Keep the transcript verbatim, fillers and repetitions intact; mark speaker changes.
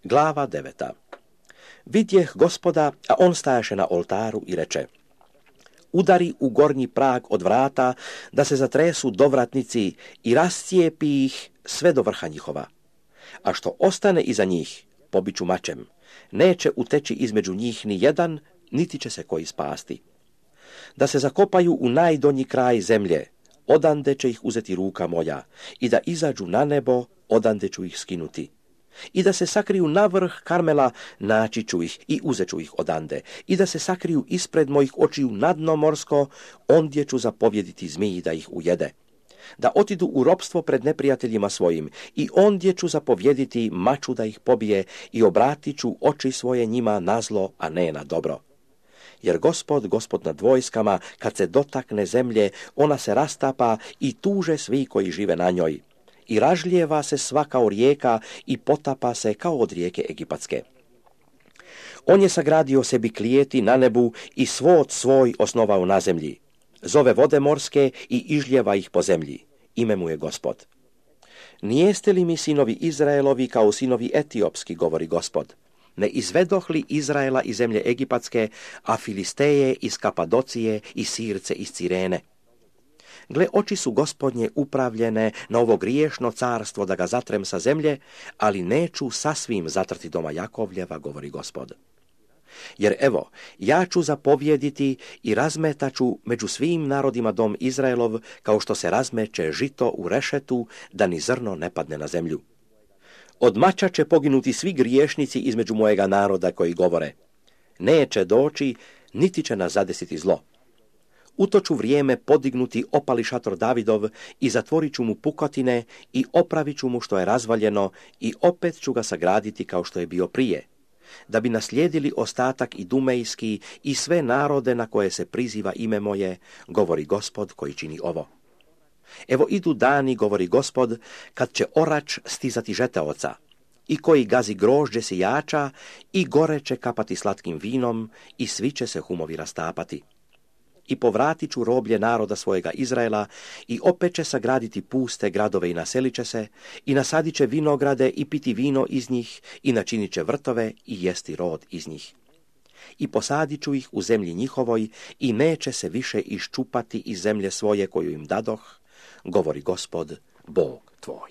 Speaker 1: Glava deveta. Vidjeh Gospoda, a on stajaše na oltaru i reče: udari u gornji prag od vrata, da se zatresu dovratnici i rascijepi ih sve do vrha njihova. A što ostane iza njih, pobiću mačem. Neće uteći između njih ni jedan, niti će se koji spasti. Da se zakopaju u najdonji kraj zemlje, odande će ih uzeti ruka moja, i da izađu na nebo, odande ću ih skinuti. I da se sakriju na vrh Karmela, naći ću ih i uzet ću ih odande. I da se sakriju ispred mojih očiju na dno morsko, ondje ću zapovjediti zmiji da ih ujede. Da otidu u ropstvo pred neprijateljima svojim, i ondje ću zapovjediti maču da ih pobije, i obratit ću oči svoje njima na zlo, a ne na dobro. Jer Gospod, Gospod nad vojskama, kad se dotakne zemlje, ona se rastapa i tuže svi koji žive na njoj. I ražlijeva se sva kao rijeka i potapa se kao od rijeke Egipatske. On je sagradio sebi klijeti na nebu i svod svoj osnovao na zemlji. Zove vode morske i ižljeva ih po zemlji. Ime mu je Gospod. Nijeste li mi sinovi Izraelovi kao sinovi etiopski, govori Gospod? Ne izvedoh li Izraela iz zemlje Egipatske, a Filisteje iz Kapadocije i Sirce iz Cirene? Gle, oči su Gospodnje upravljene na ovo griješno carstvo da ga zatrem sa zemlje, ali neću sasvim zatrti doma Jakovljeva, govori Gospod. Jer evo, ja ću zapovjediti i razmetaću među svim narodima dom Izraelov, kao što se razmeće žito u rešetu, da ni zrno ne padne na zemlju. Od mača će poginuti svi griješnici između mojega naroda koji govore: neće doći, niti će nas zadesiti zlo. U to ću vrijeme podignuti opali šator Davidov i zatvorit ću mu pukotine i opravit ću mu što je razvaljeno i opet ću ga sagraditi kao što je bio prije, da bi naslijedili ostatak i dumejski i sve narode na koje se priziva ime moje, govori Gospod koji čini ovo. Evo idu dani, govori Gospod, kad će orač stizati žeteoca, i koji gazi grožđe sijača, i gore će kapati slatkim vinom, i svi će se humovi rastapati. I povratit ću roblje naroda svojega Izraela, i opet će sagraditi puste gradove i naselit će se, i nasadit će vinograde i piti vino iz njih, i načinit će vrtove i jesti rod iz njih. I posadit ću ih u zemlji njihovoj, i neće se više iščupati iz zemlje svoje koju im dadoh, govori Gospod, Bog tvoj.